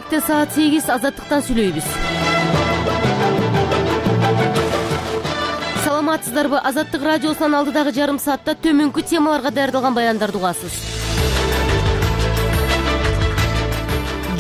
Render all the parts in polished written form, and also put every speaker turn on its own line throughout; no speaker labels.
Келечекте саат 8 Азаттыктан сүйлөйбүз. Саламатсыздарбы? Азаттык радиосунун алдыдагы жарым саатта төмөнкү темаларга даярдалган баяндарды угасыз.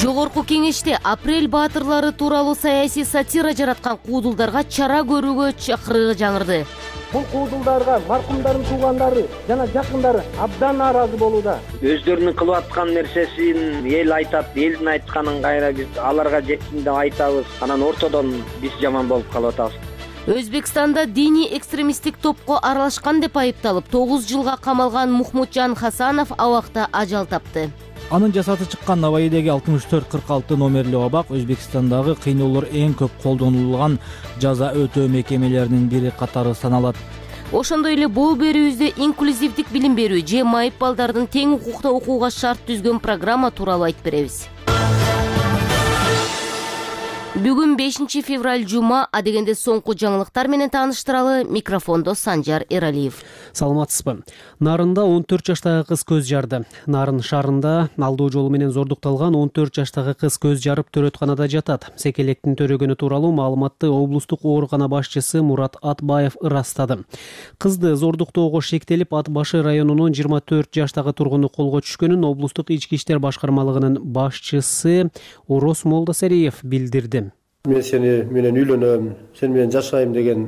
Жогорку кеңеште апрель баатырлары тууралуу саясий сатира жараткан куудулдарга чара көрүүгө чакырыгы жаңырды.
Бул куудулдарга маркумдардын туугандары жана жакындары абдан нааразы болууда.
Өздөрүнүн кылып аткан нерсесин эл айтат, элдин айтканын кайра биз аларга жетсин деп айтабыз. Анан ортодон биз жаман болуп калып атабыз.
Өзбекстанда диний экстремисттик топко аралашкан деп айыпталып 9 жылга камалган Мухмуджан Хасанов абакта ажал тапты.
Анын жасаты чыккан Наваидеги 6446 номерлүү абак Өзбекстандагы кыйноолор эң көп колдонулган жаза өтөө мекемелеринин бири катары саналат.
Ошондой эле бул берүүбүздө инклюзивдик билим берүү же майып балдардын тең укукта окууга шарт түзгөн программа тууралуу айтып беребиз. Бүгүн 5 февраль жума, адегенде соңку жаңылыктар менен тааныштыралы. Микрофондо Санжар Эралиев.
Саламатсызбы? Нарында 14 жаштагы кыз көз жарды. Нарын шаарында алдоо жолу менен зордукталган 14 жаштагы кыз көз жарып төрөтканада жатат. Секелектин төрөгөнү тууралуу маалыматты облустук оорукана башчысы Мурат Атбаев ырастады. Кызды зордуктоого шектелип, Ат башы районунун 24 жаштагы тургуну колго түшкөнүн облустук ички иштер башкармалыгынын башчысы Орос Молдосериев билдирди.
Мен сени менен үйлөнөм, сен менен жашайм деген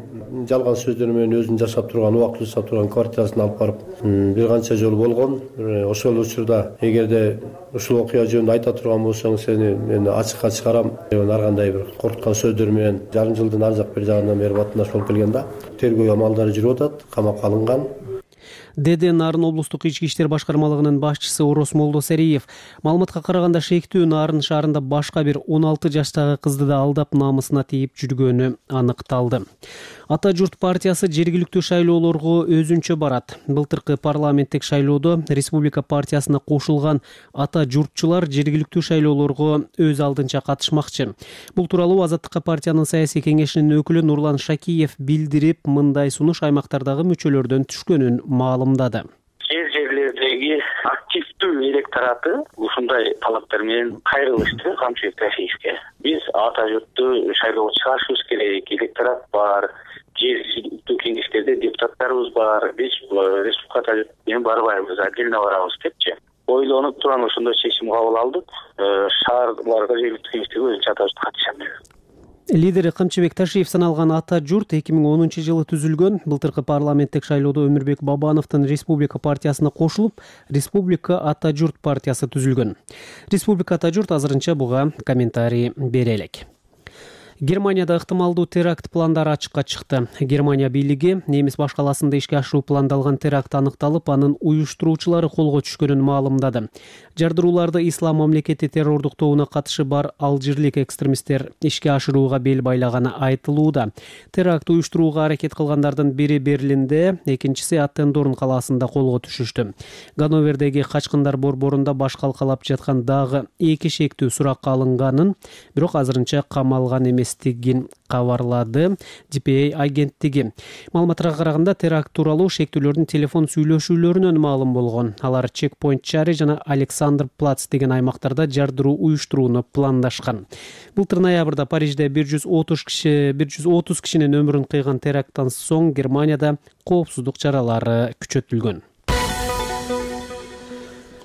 жалган сөздөр менен өзүн жашап турган, убактылуу жашап турган квартирасына алып барып бир канча жолу болгон. Ошол учурда эгерде ушул окуя жөнүндө айта турган болсоң, сени мен ачыкка чыгарам деген ар кандай бир коркуткан сөздөр менен жарым жылдын ар жак бери жагынан бери батнаш болуп келген да. Тергөө амалдары жүрүп атат, камакка алынган.
Деди Нарын облустук ички иштер башкармалыгынын башчысы Орос Молдосериев. Маалыматка караганда шектүү Нарын шаарында башка бир 16 жаштагы кызды да алдап намысына тийип жүргөнү аныкталды. Ата журт партиясы жергиликтүү шайлоолорго өзүнчө барат. Былтыркы парламенттик шайлоодо республика партиясына кошулган ата журтчулар жергиликтүү шайлоолорго өз алдынча катышмакчы. Бул тууралуу Азаттыкка партиянын саясий кеңешинин өкүлү Нурлан Шакиев билдирип, мындай сунуш аймактардагы мүчөлөрдөн түшкөнүн маалымдады.
Жерлердеги активдүү электораты ушундай талаптар менен кайрылышты Камчыбек Тахиевке. Биз ата журтту шайлоого чыгарышыбыз керек, электорат бар, жергиликтүү кеңештерде депутаттарыбыз бар, биз республикада менен барбайбыз, отдельно барабыз депчи. Ойлонуп туран ошондой чечим кабыл алдык. Шаарларга жергиликтүү кеңештерге өзүнчө ата журт катышам деп.
Лидери Камчыбек Ташиев саналган ата журт 2010 жылы түзүлгөн. Былтыркы парламенттик шайлоодо Өмүрбек Бабановдун республика партиясына кошулуп, Республика ата журт партиясы түзүлгөн. Республика ата журт азырынча буга комментарий бере элек. Германияда ыктымалдуу теракт пландары ачыкка чыкты. Германия бийлиги немис башкаласында ишке ашыруу пландалган теракт аныкталып, анын уюштуруучулары колго түшкөнүн маалымдады. Жардырууларды Ислам мамлекети террордук тобуна катышы бар алжирлик экстремисттер ишке ашырууга бел байлаганы айтылууда. Теракт уюштурууга аракет кылгандардын бири Берлинде, экинчиси Аттендорн калаасында колго түшүштү. Ганновердеги качкындар борборунда баш калкалап жаткан дагы 2 шектүү суракка алынганын, бирок азырынча камалган эмес кабарлады DPA агенттиги. Маалыматка караганда теракт тууралуу шектүүлөрдүн телефон сүйлөшүүлөрүнөн маалым болгон. Алар Чекпойнт шаары жана Александр Плац деген аймактарда жардыруу уюштурууну пландашкан. Былтыр ноябрда Парижде 130 кишинин өмүрүн кыйган теракттан соң Германияда коопсуздук чаралары күчөтүлгөн.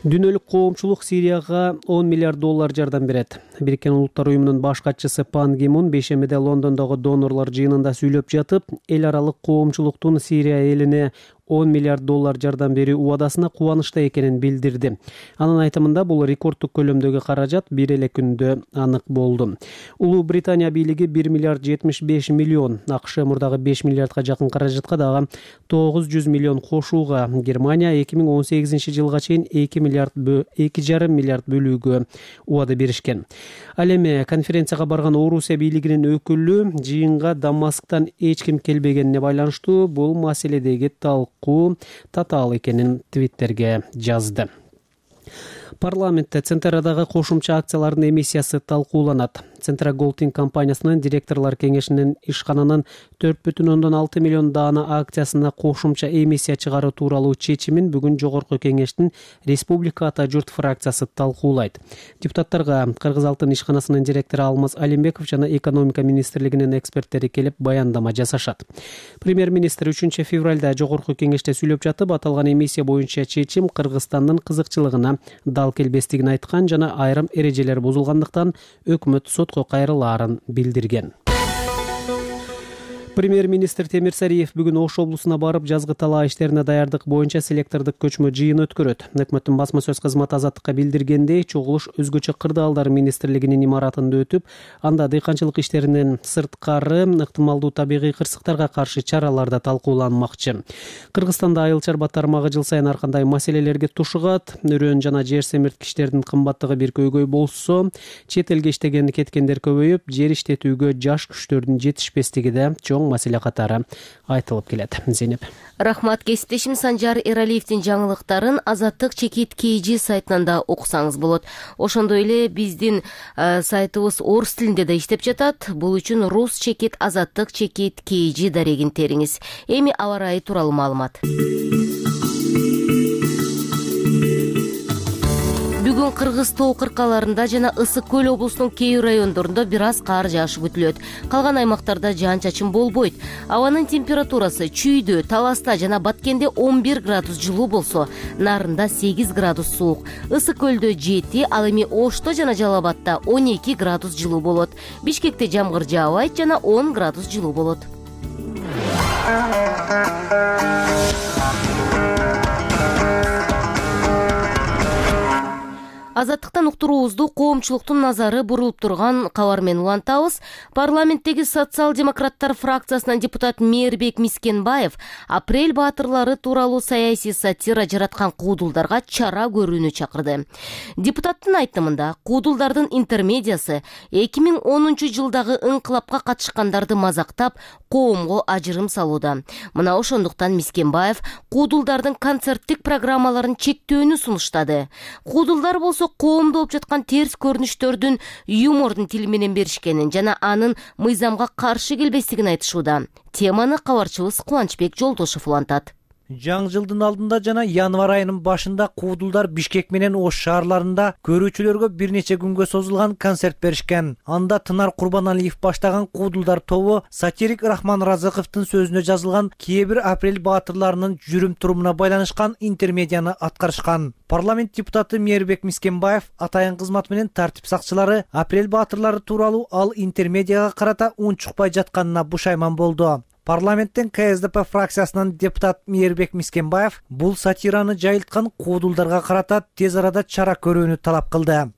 Дүйнөлүк коомчулук Сирияга $10 миллиард жардам берет. Бириккен Улуттар уюмунун баш катчысы Пан Ги Мун бейшембиде Лондондогу донорлор жыйынында сүйлөп жатып, эл аралык коомчулуктун Сирия элине $10 миллиард жардам берүү убадасына кубанычта экенин билдирди. Анын айтымында бул рекордтук көлөмдөгү каражат бир эле күндө анык болду. Улуу Британия бийлиги $1 миллиард 75 миллион, АКШ мурдагы $5 миллиардга жакын каражатка дагы $900 миллион кошууга, Германия 2018 жылга чейин $2,5 миллиард бөлүүгө убада беришкен. Ал эми конференцияга барган Орусия бийлигинин өкүлү жыйынга Дамасктан эч ким келбегенине байланыштуу бул маселедеги татаал экенин Твиттерге жазды. Парламентте Центерадагы кошумча акциялардын эмиссиясы талкууланат. Centra Golding компаниясынын директорлор кеңешинин ишкананын 4,6 миллион даана акциясына кошумча эмиссия чыгаруу тууралуу чечимин бүгүн жогорку кеңештин Республика Ата журт фракциясы талкуулайт. Депутаттарга Кыргыз алтын ишканасынын директору Алмаз Алимбеков жана экономика министрлигинин эксперттери келип баяндама жасашат. Премьер-министр 3 февралда жогорку кеңеште сүйлөп жатып, аталган эмиссия боюнча чечим Кыргызстандын кызыкчылыгына дал келбестигин айткан жана айрым эрежелер бузулгандыктан өкмөт сотко кайрылаарын билдирген. Премьер-министр Темирсариев бүгүн Ош облусуна барып, жазгы талаа иштерине даярдык боюнча селектордук көчмө жыйын өткөрөт. Өкмөттүн басма сөз кызматы Азаттыкка билдиргендей, чогулуш өзгөчө кырдаалдар министрлигинин имаратында өтүп, анда дыйканчылык иштеринен сырткары ыктымалдуу табигый кырсыктарга каршы чаралар да талкууланмакчы. Кыргызстанда айыл-чарба тармагы жыл сайын ар кандай маселелерге тушугат. Өрөөн жана жер семирткичтердин кымбаттыгы бир көйгөй болсо, чет элге иштеген кеткендер көбөйүп, жер иштетүүгө жаш күчтөрдүн жетишпестиги да чоң маселе катары айтылып келет. Зейнеп.
Рахмат. Кесиптешим Санжар Эралиевдин жаңылыктарын Азаттык чекит KG сайтынан да окусаңыз болот. Ошондой эле биздин сайтыбыз орус тилинде да иштеп жатат. Бул үчүн рус чекит Азаттык чекит KG дарегин териңиз. Эми аба ырайы тууралуу маалымат. Бүгүн Кыргыз тоо кыркаларында жана Ысык көл облусунун кээ райондорунда бир аз кар жаашы күтүлөт. Калган аймактарда жаан-чачын болбойт. Абанын температурасы Чүйдө, Таласта жана Баткенде 11 градус жылуу болсо, Нарында 8 градус суук. Ысык көлдө 7, ал эми Ошто жана Жалал Абадта 12 градус жылуу болот. Бишкекте жамгыр жаабайт жана 10 градус жылуу болот. Азаттыктан уктуруубузду коомчулуктун назары бурулуп турган кабар менен улантабыз. Парламенттеги социал-демократтар фракциясынан депутат Мээрбек Мискенбаев апрель баатырлары тууралуу саясий сатира жараткан куудулдарга чара көрүүнү чакырды. Депутаттын айтымында, куудулдардын интермедиясы 2010 жылдагы ыңкылапка катышкандарды мазактап, коомго ажырым салууда. Мына ошондуктан Мискенбаев куудулдардын концерттик программаларын чектөөнү сунуштады. Куудулдар болсо коомдо болуп жаткан терс көрүнүштөрдүн юмордун тили менен беришкенин жана анын мыйзамга каршы келбестигин айтышууда. Теманы кабарчыбыз Кубанычбек Жолдошов улантат.
Жаңы жылдын алдында жана январь айынын башында куудулдар Бишкек менен Ош шаарларында көрүүчүлөргө бир нече күнгө созулган концерт беришкен. Анда Тынар Курбаналиев баштаган куудулдар тобу сатирик Рахман Разыковдун сөзүнө жазылган кээ бир апрель баатырларынын жүрүм-турумуна байланышкан интермедияны аткарышкан. Парламент депутаты Мээрбек Мискенбаев атайын кызмат менен тартип сакчылары апрель баатырлары тууралуу ал интермедияга карата унчукпай жатканына бушайман болду. Парламенттен КСДП фракциясынын депутат Мээрбек Мискенбаев бул сатираны жайылткан куудулдарга карата тез арада чара көрүүнү талап кылды.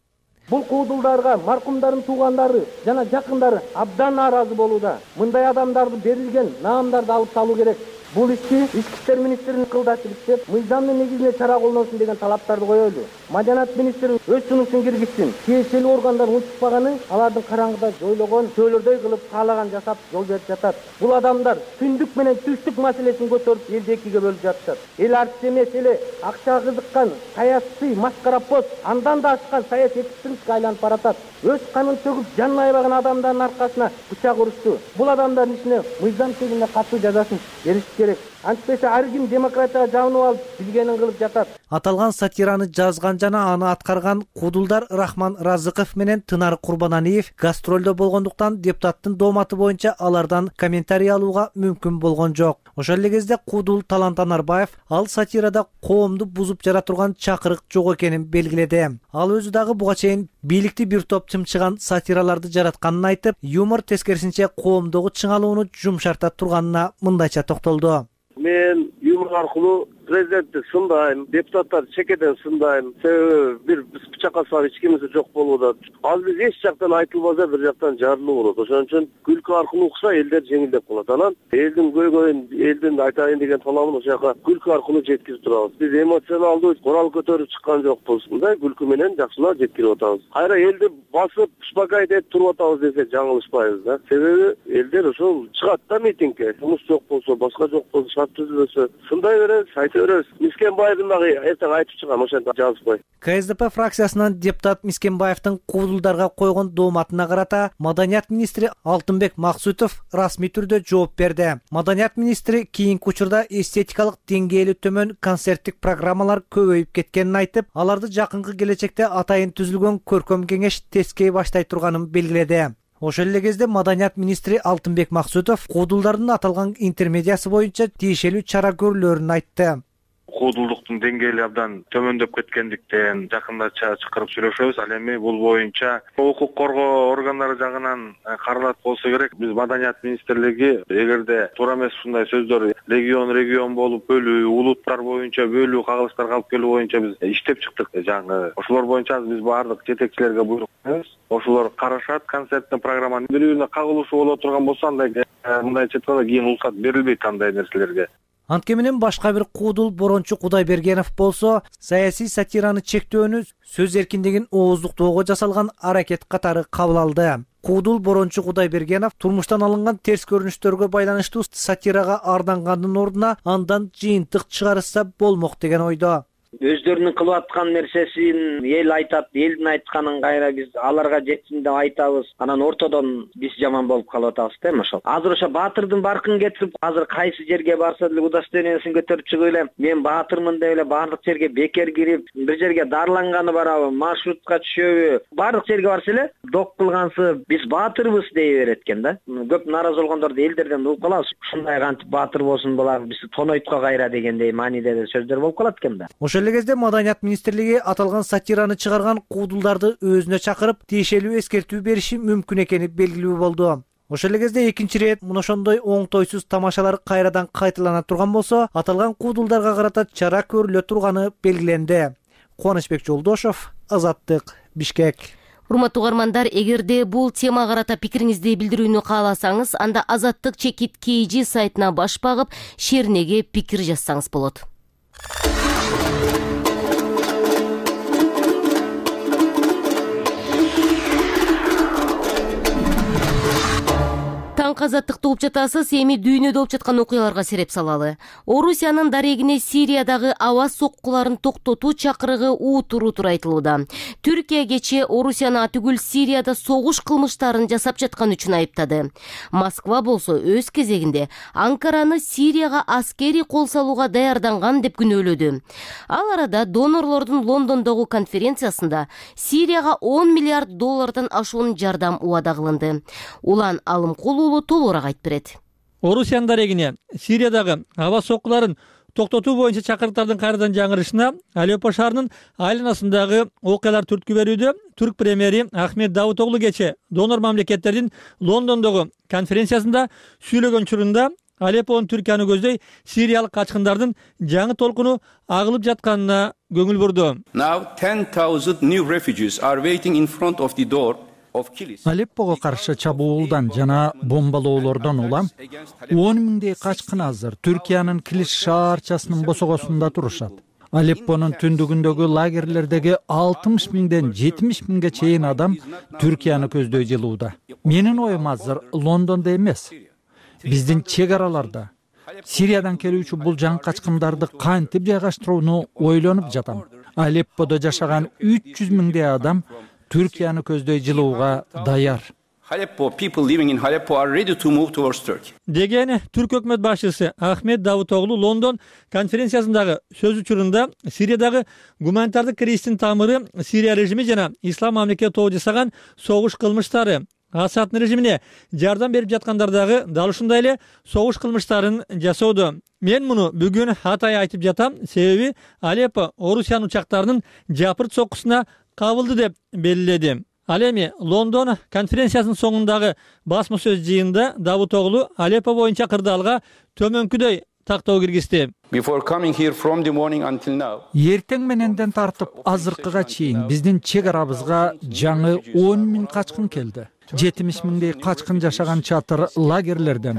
Бул куудулдарга маркумдардын туугандары жана жакындары абдан нааразы болууда. Мындай адамдарды берилген наамдарды алып салуу керек. Бул ишти Ички иштер министринин кылдашы иштеп, мыйзамдын негизинде чара колдонсун деген талаптарды коелу. Маданият министри өз сунушун киргизсин. Тиешелүү органдар унчукпаганы алардын караңгыда жойлогон чөөлөрдөй кылып каалаган жасап жол берип жатат. Бул адамдар түндүк менен түштүк маселесин көтөрүп элди экиге бөлүп жатышат. Эл артип эмес эле акчага кызыккан саясий маскарапоз андан да ашкан саясий экстремистке айланып баратат. Өз канын төгүп жанын аябаган адамдардын аркасына бычак урушту. Бул адамдардын ишине мыйзам чегинде катуу жазасын бериш керек. Антпесе ар ким демократияга жабынып алып билгенин кылып жатат.
Аталган сатираны жазган жана аны аткарган куудулдар Рахман Разыков менен Тынар Курбаналиев гастролдо болгондуктан депутаттын дооматы боюнча алардан комментарий алууга мүмкүн болгон жок. Ошол эле кезде куудул Талант Анарбаев ал сатирада коомду бузуп жара турган чакырык жок экенин белгиледи. Ал өзү дагы буга чейин бийликти бир топ чымчыган сатираларды жаратканын айтып, юмор тескерисинче коомдогу чыңалууну жумшарта турганына мындайча токтолду.
Мен юмор аркылуу президентти сындайм, депутаттарды чекеден сындайм. Себеби бир бычакка салып эч кимиси жок болууда. Ал биз эч жактан айтылбаса бир жактан жарылуу болот. Ошон үчүн күлкү аркылуу укса элдер жеңилдеп калат. Анан элдин көйгөйүн, элдин айтайын деген талабын ошол жака күлкү аркылуу жеткирип турабыз. Биз эмоционалдуу корал көтөрүп чыккан жокпуз. Мындай күлкү менен жакшылап жеткирип атабыз. Кайра элди басып, успокаивать этип туруп атабыз десек жаңылышпайбыз да. Себеби элдер ошол чыгат да митингге. Жумуш жок болсо, башка жок болсо, шарт түзүлбөсө, сындай беребиз, айта көрөбүз. Мискенбаевдин дагы эртең айтып чыгам, ошентип жазып кой.
КСДП фракциясынан депутат Мискенбаевдин куудулдарга койгон дооматына карата Маданият министри Алтынбек Максутов расмий түрдө жооп берди. Маданият министри кийинки учурда эстетикалык деңгээли төмөн концерттик программалар көбөйүп кеткенин айтып, аларды жакынкы келечекте атайын түзүлгөн көркөм кеңеш тескей баштай турганын белгиледи. Ошол эле кезде Маданият министри Алтынбек Максутов куудулдардын аталган интермедиясы боюнча тиешелүү чара көрүлөрүн айтты.
Куудулдуктун деңгээли абдан төмөндөп кеткендиктен жакында чакырып сүйлөшөбүз. Ал эми бул боюнча укук коргоо органдары жагынан каралат болсо керек. Биз Маданият министрлиги эгерде туура эмес ушундай сөздөр регион болуп бөлүү, улуттар боюнча бөлүү, кагылыштарга алып келүү боюнча биз иштеп чыктык. Жаңы ошолор боюнча биз баардык жетекчилерге буйрук беребиз. Ошолор карашат, концерттин программаны бирөө кагылышуу боло турган болсо андай мындай четкада кийин уруксат берилбейт андай нерселерге.
Анткени менен башка бир куудул Борончу Кудайбергенов болсо, саясий сатираны чектөөнү сөз эркиндигин ооздуктоого жасалган аракет катары кабыл алды. Куудул Борончу Кудайбергенов турмуштан алынган терс көрүнүштөргө байланыштуу сатирага ардангандын ордуна андан жыйынтык чыгарышса болмок деген ойдо.
Өздөрүнүн кылып аткан нерсесин эл айтат, элдин айтканын кайра биз аларга жетсин деп айтабыз. Анан ортодон биз жаман болуп калып атабыз да эми ошол. Азыр ошо баатырдын баркын кетирип, азыр кайсы жерге барса деле удостоверениесин көтөрүп чыгып эле мен баатырмын деп эле баардык жерге бекер кирип, бир жерге дарыланганы барабы, маршрутка түшөбү, баардык жерге барса эле док кылгансы биз баатырбыз дей берет экен да. Көп нааразы болгондорду элдерден угуп калабыз. Ушундай кантип баатыр болсун булар биз тонойтко кайра дегендей мааниде сөздөр болуп калат экен да.
Ошол эле кезде Маданият министрлиги аталган сатираны чыгарган куудулдарды өзүнө чакырып, тиешелүү эскертүү бериши мүмкүн экени белгилүү болду. Ошол эле кезде экинчи ирет ошондой оңтойсуз тамашалар кайрадан кайталана турган болсо, аталган куудулдарга карата чара көрүлө турганы белгиленди. Кубанычбек Жолдошов, Азаттык, Бишкек.
Урматтуу угармандар, эгерде бул темага карата пикириңизди билдирүүнү кааласаңыз, анда Азаттык-KG сайтына баш багып, шеринеге пикир жазсаңыз болот. Азаттыкты угуп жатасыз. Эми дүйнөдө болуп жаткан окуяларга сереп салалы. Орусиянын дарегине Сириядагы аба соккуларын токтотуу чакырыгы утур айтылууда. Түркия кечээ Орусияны атүгүл Сирияда согуш кылмыштарын жасап жаткан үчүн айыптады. Москва болсо өз кезегинде Анкараны Сирияга аскери кол салууга даярданган деп күнөөлөдү. Ал арада донорлордун Лондондогу конференциясында Сирияга 10 миллиард доллардан ашуун жардам убада кылынды. Улан Алымкулуулу толугураак айтып берет.
Орусиянын дарегине Сириядагы аба соккуларын токтотуу боюнча чакырыктардын кайрадан жаңырышына Алеппо шаарынын айланасындагы окуялар түрткү берүүдө түрк премьери Ахмет Давутоглу кечээ донор мамлекеттердин Лондондогу конференциясында сүйлөгөн учурунда Алеппонун Түркияны көздөй сириялык качкындардын жаңы толкуну агылып жатканына көңүл бурду.
Now 10,000 new refugees are waiting in front of the door.
Алеппого каршы чабуулдан жана бомбалоолордон улам 10 миңдей качкын азыр Түркиянын Килиш шаарчасынын босогосунда турушат. Алеппонун түндүгүндөгү лагерлердеги 60 миңден 70 миңге чейин адам Түркияны көздөй жылууда. Менин оюм азыр Лондондо эмес, биздин чек араларда. Сириядан келүүчү бул жаңы качкындарды кантип жайгаштырууну ойлонуп жатам. Алепподо жашаган 300 миңдей адам Түркияны көздөй жылууга даяр.
Aleppo people living in Aleppo are ready to move towards Turkey.
Деген түрк өкмөт башчысы Ахмет Давутоглу Лондон конференциясындагы сөз учурунда Сириядагы гуманитардык кризистин тамыры Сирия режими жана ислам мамлекети тобу жасаган согуш кылмыштары. Асаддын режимине жардам берип жаткандардагы дал ушундай эле согуш кылмыштарын жасоодо. Мен муну бүгүн атай айтып жатам, себеби Алеппо Орусиянын учактарынын жапырт соккусуна кабылды деп белгиледи. Ал эми Лондон конференциясынын соңундагы басма сөз жыйынында Давутоглу Алеппо боюнча кырдаалга төмөнкүдөй тактоо киргизди.
Before coming here from the morning until now.
Эртең мененден тартып азыркыга чейин биздин чек арабызга жаңы 10 миң качкын келди. 70 миңдей качкын жашаган чатыр лагерлерден,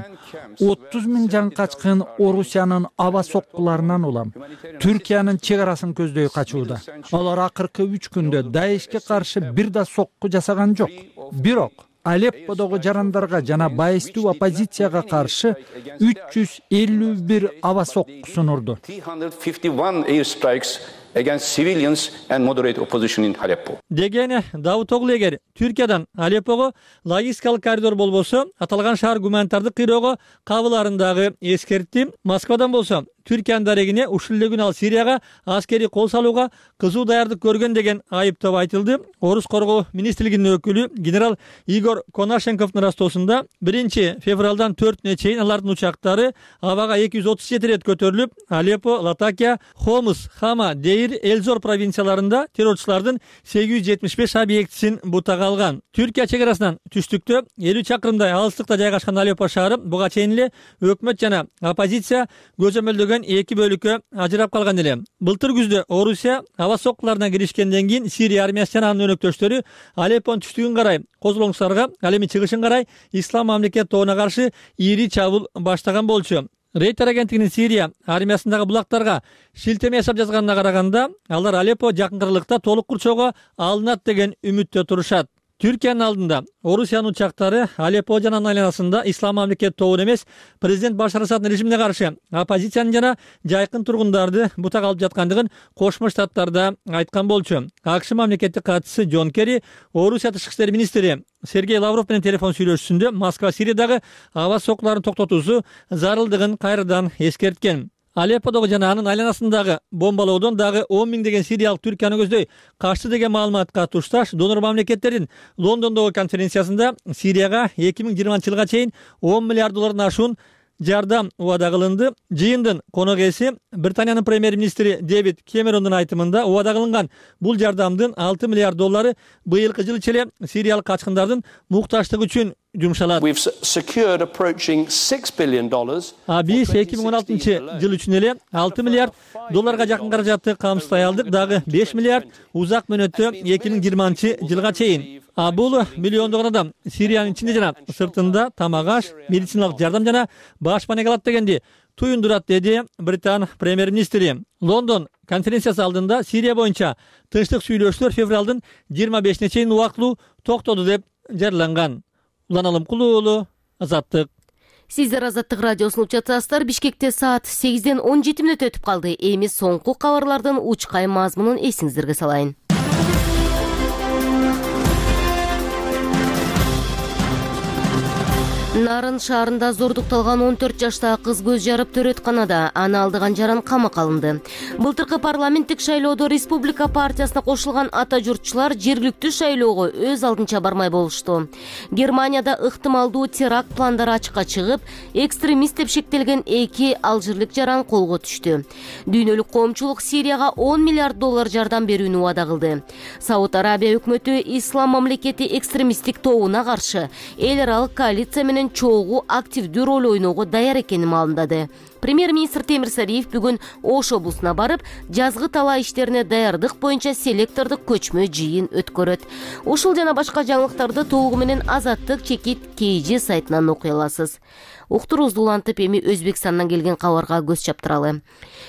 30 миң жаңы качкын Орусиянын аба соккуларынан улам Түркиянын чек арасын көздөй качууда. Алар акыркы 3 күндө Даешке каршы бир да сокку жасаган жок. Бирок Алепподогу жарандарга жана байыстуу оппозицияга каршы 351 аба соккусун урду.
351 airstrikes against civilians and moderate opposition in Aleppo.
Дегени Давутоглу эгер Түркиядан Алеппого логистикалык коридор болбосо, аталган шаар гуманитардык кыйроого кабыларындагы эскертти. Москвадан болсо Түркиянын дарегине ушул эле күнү ал Сирияга аскери кол салууга кызуу даярдык көргөн деген айыптоо айтылды. Орус коргоо министрлигинин өкүлү генерал Игорь Конашенковдун растоосунда 1-февралдан 4-үнө чейин алардын учактары абага 237 рет көтөрүлүп, Алеппо, Латакия, Хомс, Хама, Дейр, Элзор провинцияларында террорчулардын 875 объектисин бутага алган. Түркия чек арасынан түштүктө 50 чакырымдай алыстыкта жайгашкан Алеппо шаары буга чейин эле өкмөт жана оппозиция көзөмөлдөгөн эки бөлүккө ажырап калган эле. Былтыр күздө Орусия аба соккуларына киришкенден кийин Сирия армиясы жана анын өнөктөштөрү Алеппонун түштүгүн карай Козулоңсарга, ал эми чыгышын карай Ислам мамлекет тобуна каршы ири чабуул баштаган болчу. Рейтер агенттигинин Сирия армиясындагы булактарга шилтеме жасап жазганына караганда, алар Алеппо жакын кыргылыкта толук курчоого алынат деген үмүттө турушат. Түркиянын алдында Орусиянын учактары Алеппо жана анын айланасында Ислам мамлекет тобун эмес, президент Башар Асаддын режимине каршы оппозициянын жана жайкын тургундарды бутак алып жаткандыгын Кошмо Штаттарда айткан болчу. АКШ мамлекеттик катчысы Джон Керри Орусия тышкы иштер министри Сергей Лавров менен телефон сүйлөшүүсүндө Москва Сириядагы аба соккуларын токтотуусу зарылдыгын кайрадан эскерткен. Алепподогу жана анын айланасындагы бомбалоодон дагы 10 миңдеген сириялык Түркияны көздөй качты деген маалыматка тушташ донор мамлекеттердин Лондондогу конференциясында Сирияга 2020-жылга чейин 10 миллиард доллардан ашуун жардам убада кылынды. Жыйындын конок ээси Британиянын премьер-министри Дэвид Кэмерондун айтымында убада кылынган бул жардамдын 6 миллиард доллары быйылкы жыл ичинде сириялык качкындардын муктаждыгы үчүн жумшалат.
We've secured approaching $6 billion.
Биз 2016-жыл үчүн эле 6 миллиард долларга жакын каражатты камсыздай алдык, дагы 5 миллиард узак мөөнөттө 2020-жылга чейин. Бул миллиондогон адам Сириянын ичинде жана сыртында тамак-аш, медициналык жардам жана башпанеге алат дегенди туюндурат, деди Британ премьер-министри. Лондон конференциясы алдында Сирия боюнча тынчтык сүйлөшүүлөр февралдын 25-ине чейин убактылуу токтоду деп жарыяланган. Улан Алымкулуу уулу, Азаттык.
Сиздер Азаттык радиосун угуп жатасыздар. Бишкекте саат 8ден 17 мүнөт өтүп калды. Эми соңку кабарлардын учкай мазмунун эсиңиздерге салайын. Нарын шаарында зордукталган 14 жаштагы кыз көз жарып төрөтканада, аны алдыган жаран камакка алынды. Былтыркы парламенттик шайлоодо Республика партиясына кошулган ата журтчулар жергиликтүү шайлоого өз алдынча бармай болушту. Германияда ыктымалдуу теракт пландары ачыкка чыгып, экстремист деп шектелген 2 алжирлик жаран колго түштү. Дүйнөлүк коомчулук Сирияга 10 миллиард доллар жардам берүүнү убада кылды. Сауд Арабия өкмөтү Ислам мамлекети экстремисттик тобуна каршы эл аралык коалиция менен чогуу активдүү роль ойноого даяр экенин маалымдады. Премьер-министр Темир Сариев бүгүн Ош облусуна барып, жазгы талаа иштерине даярдык боюнча селектордук көчмө жыйын өткөрөт. Ушул жана башка жаңылыктарды толугу менен Азаттык чекит KG сайтынан окуй аласыз. Уктуруубузду улантып, эми Өзбекстандан келген кабарга көз чаптыралы.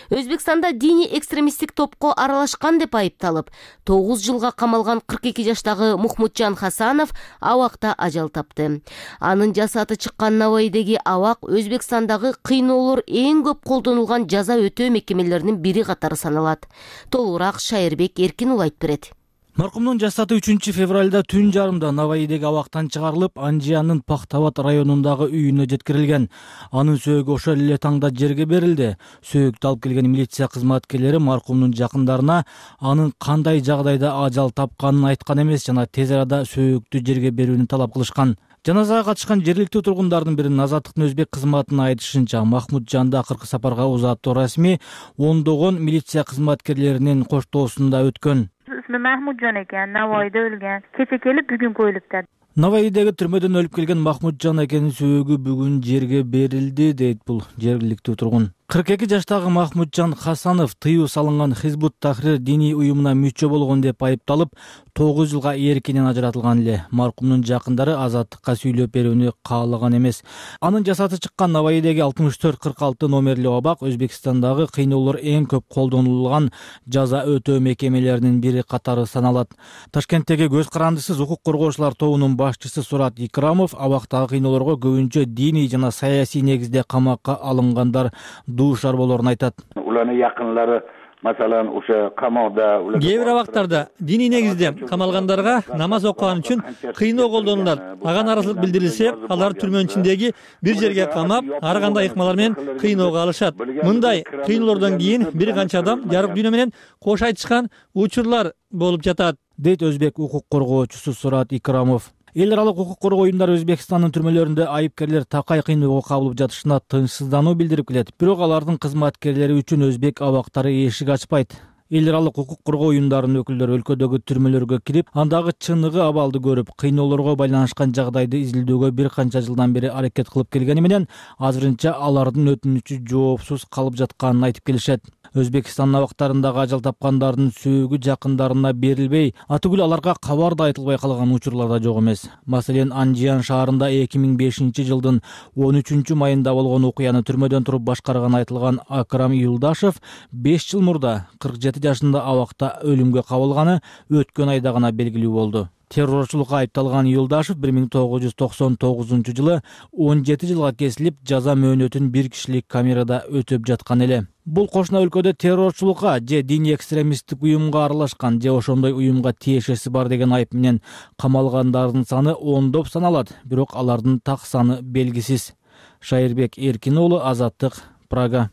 Өзбекстанда диний экстремисттик топко аралашкан деп айыпталып, 9 жылга камалган 42 жаштагы Мухмуджан Хасанов абакта ажал тапты. Анын жасаты чыккан Наваидеги абак Өзбекстандагы кыйноолор эң көп колдонулган жаза өтөө мекемелеринин бири катары саналат. Толугураак Шайырбек Эркинул айтып берет.
Маркумдун жасаты 3-февралда түн жарымда Наваидеги абактан чыгарылып, Анжиянын Пахтават районундагы үйүнө жеткирилген. Анын сөөгү ошол эле таңда жерге берилди. Сөөгүктү алып келген милиция кызматкерлери маркумдун жакындарына анын кандай жагдайда ажал тапканын айткан эмес жана тез арада сөөгүктү жерге берүүнү талап кылышкан. Жаназага катышкан жергиликтүү тургундардын биринин Азаттыктын өзбек кызматына айтышынча, Махмуджанда акыркы сапарга узаттуу расмий ондогон милиция кызматкерлеринин коштоосунда өткөн.
Mahmudjon ekan, Navoiyda o'lgan. Kecha kelib, bugun qo'yilibdi.
Navoiydagi түрмөдөн өлүп келген Махмуджан экенин сөөгү бүгүн жерге берилди, дейт бул жергиликтүү тургун. 42 жаштагы Махмуджан Хасанов тыюу салынган Хизбут Тахрир диний уюмуна мүчө болгон деп айыпталып 9 жылга эркинен ажыратылган эле. Маркумдун жакындары азаттыкка сүйлөп берүүнү каалаган эмес. Анын жасаты чыккан Наваидеги 6446 номерлүү абак Өзбекстандагы кыйноолор эң көп колдонулган жаза өтөө мекемелеринин бири катары саналат. Ташкенттеги көз карандысыз укук коргоочулар тобунун башчысы Сурат Икрамов абактагы кыйноолорго көбүнчө диний жана саясий негизде камакка алынгандар дуушар болорун айтат.
Уларнын якынлары Masalan, o'sha qamoqda
кээ бир абактарда диний негизде камалгандарга намаз окуган үчүн кыйноо колдонулат. Ага наразылык билдирилсе, алар түрмөнүн ичиндеги бир жерге камап, ар кандай ыкмалар менен кыйноого алышат. Мындай кыйноолордон кийин бир канча адам жарык дүйнө менен кош айтышкан учурлар болуп жатат, дейт өзбек укук коргоочусу Сурат Икрамов. Эл аралык укук коргоо уюмдары Өзбекстандын түрмөлөрүндө айыпкерлер такай кыйноого кабылып жатышына тынчсыздануу билдирип келет. Бирок алардын кызматкерлери үчүн өзбек абактары эшик ачпайт. Эл аралык укук коргоо уюмдарынын өкүлдөрү өлкөдөгү түрмөлөргө кирип, андагы чыныгы абалды көрүп, кыйноолорго байланышкан жагдайды изилдөөгө бир канча жылдан бери аракет кылып келгени менен, азырынча алардын өтүнүчү жоопсуз калып жатканын айтып келишет. Өзбекстан абактарындагы ажал тапкандардын сөөгү жакындарына берилбей, атүгүл аларга кабар да айтылбай калган учурлар да жок эмес. Маселен, Анжиян шаарында 2005 жылдын 13 майында болгон окуяны түрмөдөн туруп башкарган айтылган Акрам Юлдашев 5 жыл мурда 47 жашында абакта өлүмгө кабылганы өткөн айда гана белгилүү болду. Террорчулукка айыпталган Юлдашев 1999 жылы 17 жылга кесилип, жаза мөөнөтүн бир кишилик камерада өтөп жаткан эле. Бул кошуна өлкөдө террорчулукка же диний экстремисттик уюмга аралашкан же ошондой уюмга тиешеси бар деген айып менен камалгандардын саны ондоп саналат, бирок алардын так саны белгисиз. Шайырбек Эркин уулу, Азаттык, Прага.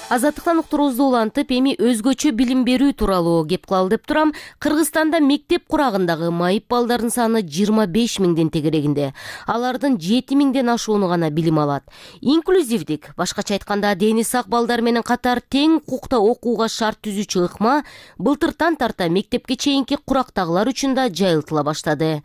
Азаттыктан уктуруубузду улантып, эми өзгөчө билим берүү тууралуу кеп кылалы деп турам. Кыргызстанда мектеп курагындагы майып балдардын саны 25 миңден тегерегинде. Алардын 7 миңден ашууну гана билим алат. Инклюзивдик, башкача айтканда, дени сак балдар менен катар тең укукта окууга шарт түзүүчү ыкма былтыртан тарта мектепке чейинки курактагылар үчүн да жайылтыла баштады.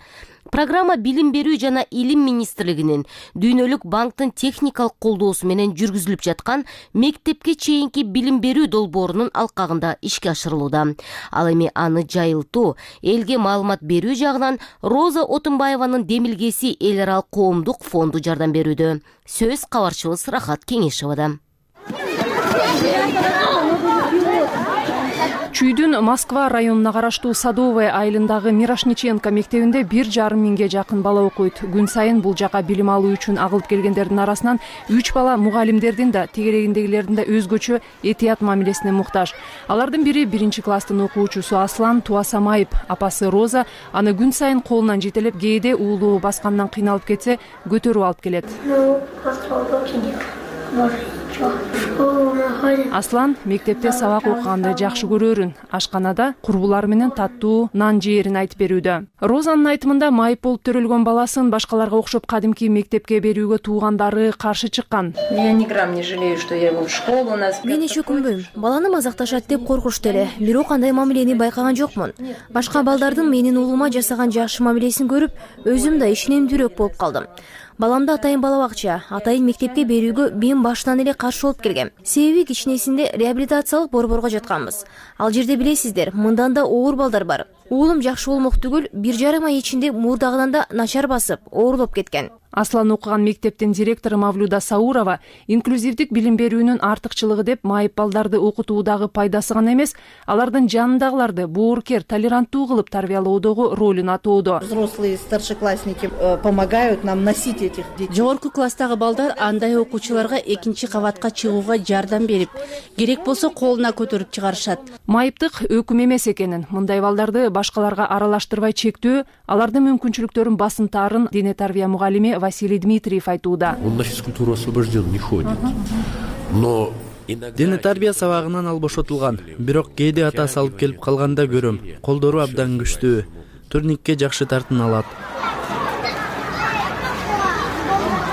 Программа Билим берүү жана Илим министрлигинин Дүйнөлүк банктын техникалык колдоосу менен жүргүзүлүп жаткан мектепке чейинки билим берүү долбоорунун алкагында ишке ашырылууда. Ал эми аны жайылтуу, элге маалымат берүү жагынан Роза Отунбаеванын демилгеси эл аралык коомдук фонду жардам берүүдө. Сөз кабарчыбыз Рахат Кеңешевада.
Чүйдүн Москва районуна караштуу Садовая айылындагы Мирошниченко мектебинде 1,5 миңге жакын бала окуйт. Күн сайын бул жака билим алуу үчүн агылып келгендердин арасынан 3 бала мугалимдердин да, тегерегиндегилердин да өзгөчө этият мамилесине муктаж. Алардын бири 1-класстын окуучусу Аслан Туасамаев, апасы Роза аны күн сайын колунан жетелеп, кээде уулу баскандан кыйналып кетсе, көтөрүп алып келет. Аслан мектепте сабак окуганды жакшы көрөрүн. Ашканада курбулар менен таттуу нан жээрин айтып берүүдө. Розанын айтымында майып болуп төрөлгөн баласын башкаларга окшоп кадимки мектепке берүүгө туугандары каршы чыккан.
Мен эч өкүнбөйм. Баланы мазакташат деп коркушту эле. Бирок кандай мамилени байкаган жокмун. Башка балдардын менин уулума жасаган жакшы мамилесин көрүп, өзүм да ишенимдүүрөөк болуп калдым. Баламды атайын бала бакча, атайын мектепке берүүгө мен баштан эле каршы болуп келгем. Себеби кичинесинде реабилитациялык борборго жатканбыз. Ал жерде билесиздер, мындан да оор балдар бар. Уулум жакшы болмок түгүл, 1,5 ай ичинде мурдагынан да начар басып, оорлоп кеткен.
Аслан окуган мектептин директору Мавлюда Саурова инклюзивдик билим берүүнүн артыкчылыгы деп майып балдарды окутуудагы пайдасы гана эмес, алардын жанындагыларды боорукер, толеранттуу кылып тарбиялоодогу ролун атоодо.
Взрослые старшеклассники помогают нам носить этих детей.
Жогорку класстагы балдар андай окуучуларга экинчи кабатка чыгууга жардам берип, керек болсо колуна көтөрүп чыгарышат.
Майыптык өкүм эмес экенин, мындай балдарды башкаларга аралаштырбай чектөө, алардын мүмкүнчүлүктөрүн басынтаарын дене тарбия мугалими Василий Дмитриев айтууда.
Он на физкультуру освобожден не ходит. Но
дене тарбия сабагынан ал бошотулган. Бирок кээде атасы алып келип калганда көрөм. Колдору абдан күчтүү. Турникке жакшы тартын алат.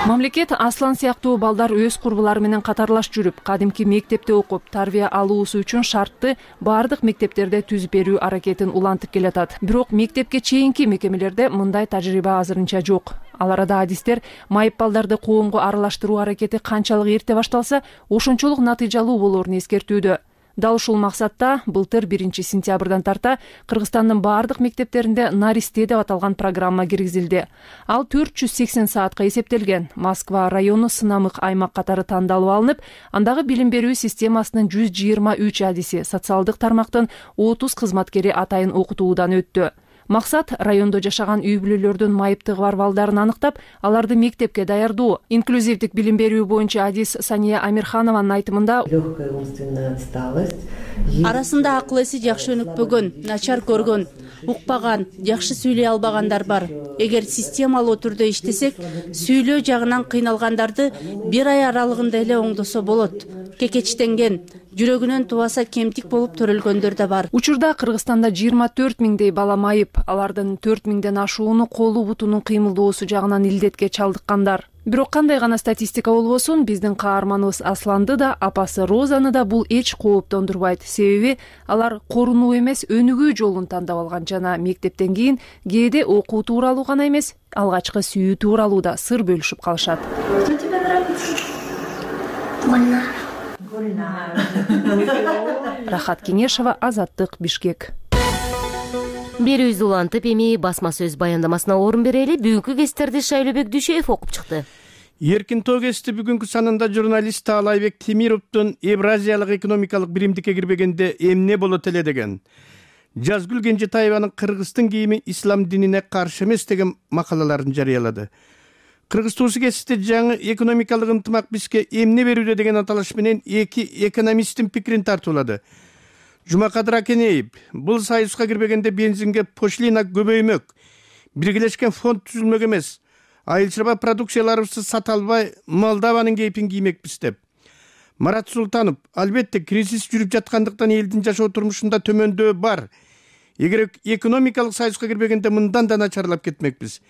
Мамлекет Аслан сыяктуу балдар өз курбулары менен катарлаш жүрүп, кадимки мектепте окуп, тарбия алуусу үчүн шартты бардык мектептерде түзүп берүү аракетин улантып келатат. Бирок мектепке чейинки мекемелерде мындай тажрыйба азырынча жок. Ал арада адистер майып балдарды коомго аралаштыруу аракети канчалык эрте башталса, ошончолук натыйжалуу болоорун эскертүүдө. Дал ушул максатта былтыр 1 сентябрдан тарта Кыргызстандын бардык мектептеринде Наристе деп аталган программа киргизилди. Ал 480 саатка эсептелген. Москва району сынамык аймак катары тандалып алынып, андагы билим берүү системасынын 123 адиси, социалдык тармактын 30 кызматкери атайын окутуудан өттү. Максат райондо жашаган үй бүлөлөрдүн майыптыгы бар балдарын аныктап, аларды мектепке даярдоо. Инклюзивдик билим берүү боюнча адис Сания Амирханованын айтымында,
арасында акыл эси жакшы өнүкпөгөн, начар көргөн, укпаган, жакшы сүйлөй албагандар бар. Эгер системалуу түрдө иштесек, сүйлөө жагынан кыйналгандарды 1 ай аралыгында эле оңдосо болот. Кекечтенген, жүрөгүнөн тубаса кемтик болуп төрөлгөндөр да бар.
Учурда Кыргызстанда 24 миңдей бала майып, алардын 4 миңден ашууну колу бутунун кыймылдоосу жагынан илдетке чалдыккандар. Бирок кандай гана статистика болбосун, биздин каарманыбыз Асланды да, апасы Розаны да бул эч кооптондурбайт. Себеби алар корунуу эмес, өнүгүү жолун тандап алган жана мектептен кийин кээде окуу тууралуу гана эмес, алгачкы сүйүү тууралуу да сыр бөлүшүп калышат. Рахат Кеңешова, Азаттык, Бишкек.
Берүүбүздү улантып, эми басма сөз баяндамасына орун берели. Бүгүнкү кестерди Шайлообек Дүйшөев окуп чыкты.
Эркин тоо кести бүгүнкү санында журналист Таалайбек Темировдун Евразиялык экономикалык биримдикке кирбегенде эмне болот эле деген, Жазгүл Кенжетаеванын Кыргыздын кийими ислам динине каршы эмес деген макалаларын жарыялады. Кыргыз туусу кесте жаңы экономикалык ынтымак бизге эмне берүүдө деген аталыш менен эки экономисттин пикирин тартуулады. Жумакадыр Акенеев, бул союзга кирбегенде бензинге пошлина көбөймөк, биргелешкен фонд түзүлмөк эмес, айыл чарба продукцияларыбызды сата албай Молдованын кейпин киймекпиз деп. Марат Султанов, албетте кризис жүрүп жаткандыктан элдин жашоо турмушунда төмөндөө бар. Эгер экономикалык союзга кирбегенде мындан да начарлап кетмекпиз.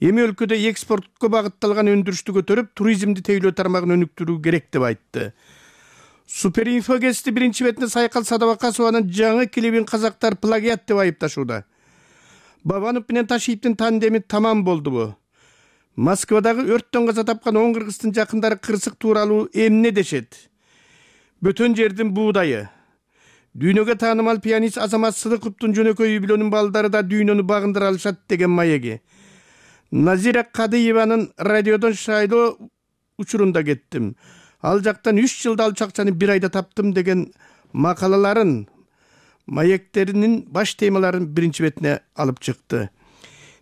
Эми өлкөдө экспортко багытталган өндүрүштү көтөрүп, туризмди тейлөө тармагын өнүктүрүү керек деп айтты. Суперинфо кести биринчи бетинде Сайкал Садабакасованын жаңы клибин казактар плагиат деп айыпташууда. Бабанов менен Ташиевдин тандеми тамам болдубу? Москвадагы өрттөн каза тапкан 10 кыргыздын жакындары кырсык тууралуу эмне дешет? Бөтөн жердин буудайы. Дүйнөгө таанымал пианист Азамат Сыдыковдун жөнөкөй үй бүлөнүн балдары да дүйнөнү багындыра алышат деген маеги. Назира Кадыеванын радиодон шайлоо учурунда кеттим. Ал жактан 3 жылда алчу акчаны 1 айда таптым деген макалаларын, маектеринин баш темаларын биринчи бетине алып чыкты.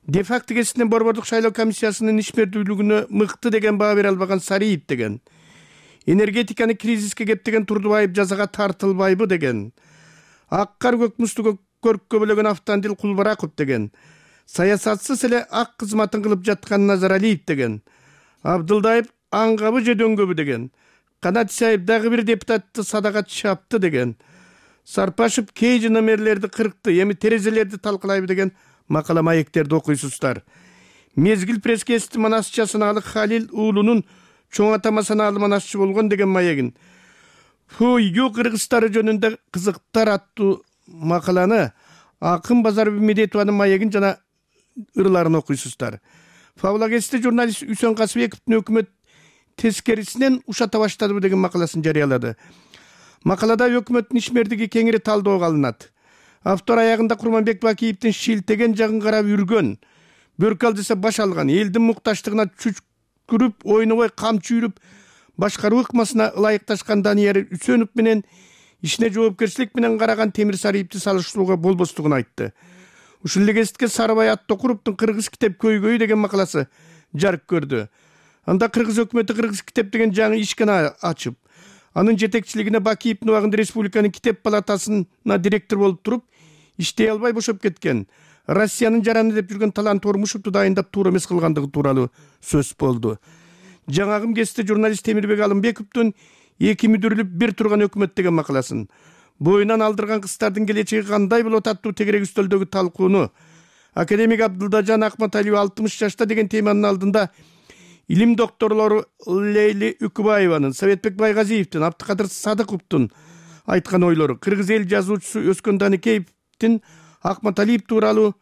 Де-факто кесинен Борбордук шайлоо комиссиясынын ишмердүүлүгүнө мыкты деген баа бере албаган Сариев деген, энергетиканы кризиске кептеген Турдубаев жазага тартылбайбы деген, ак кар көк музду көрккө бөлөгөн Автандил Кулбараков деген, саясатсыз эле ак кызматын кылып жаткан Назаралиев деген, Абдылдаев аңгабы же дөңгөбү деген, Канат Исаев дагы бир депутатты садага чапты деген, Сарпашев кей номерлерди кыркты, эми терезелерди талкалайбы деген макала маектерди окуйсуздар. Мезгил пресс-кести манасчы санаалык Халил уулунун чоң атама санаалы манасчы болгон деген маегин. Ю кыргыздары жөнүндө кызыктар аттуу макаланы Акын Базарбек Медетованын маегин жана ырларын окуйсуздар. Фавлагесте журналист Үсөн Касыбековдун өкмөт тескерисинен ушата баштадыбы деген макаласын жарыялады. Макалада өкмөттүн ишмердиги кеңири талдоого алынат. Автор аягында Курманбек Бакиевдин шилтеген жагын карап үргөн, бөркал десе баш алган, элдин мукташтыгына чүчкүрүп, ойнобой камчы үйрүп, башкаруу ыкмасына ылайыкташкан Данияр Үсөнов менен ишине жоопкерчилик менен караган Темир Сариевди салыштырууга болбостугун айтты. Ушул эле кезекте Сарыбай Аттокуровдун Кыргыз китеп көйгөйү деген макаласы жарык көрдү. Анда Кыргыз өкмөтү Кыргыз китеп деген жаңы ишкана ачып, анын жетекчилигине Бакиевдин убагында республиканын китеп палатасына директор болуп туруп, иштей албай бошоп кеткен, Россиянын жараны деп жүргөн Талант Ормушевду дайындап туура эмес кылгандыгы тууралуу сөз болду. Жаңагым кесте журналист Темирбек Алымбековдун эки мүдүрүлүп бир турган өкмөт деген макаласын, боюнан алдырган кыздардын келечеги кандай болот аттуу тегерек үстөлдөгү талкууну, академик Абдылдажан Акматалиев 60 жашта деген теманын алдында илим докторлору Лейли Үкүбаеванын, Советбек Байгазиевдин, Абдыкадыр Садыковдун айткан ойлору, кыргыз эл жазуучусу Өскөн Даникеевдин Акматалиев тууралуу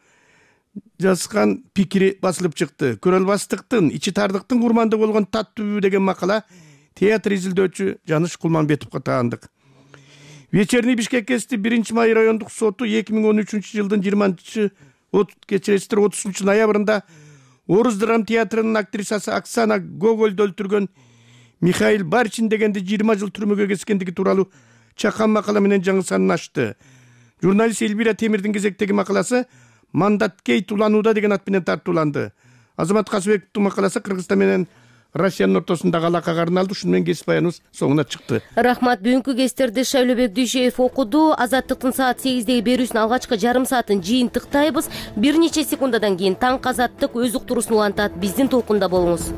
жазган пикири басылып чыкты. Көрөлбастыктын, ичи тардыктын курмандыгы болгон таттуу деген макала театр изилдөөчү Жаныш Кулманбетовго таандык. Вечерний Бишкек ГЭСти 1 май райондук соту 2013 жылдын 30 ноябрында Орус драм театрынын актрисасы Оксана Гогольду өлтүргөн Михаил Барчин дегенди 20 жыл түрмөгө кескендиги тууралуу чакан макала менен жаңы санын ачты. Журналист Эльвира Темирдин кезектеги макаласы Мандат Кейт уланууда деген ат менен тартууланды. Азамат Касыбековдун макаласы Кыргызстан менен Россиянын ортосундагы алакага арналды. Ушуну менен кесип аяныбыз соңуна чыкты.
Рахмат. Бүгүнкү кестерди Шайлообек Дүйшөев окуду. Азаттыктын саат 8деги берүүсүнүн алгачкы жарым саатын жыйынтыктайбыз. Бир нече секундадан кийин Таң Азаттык өз уктуруусун улантат. Биздин толкунда болуңуз.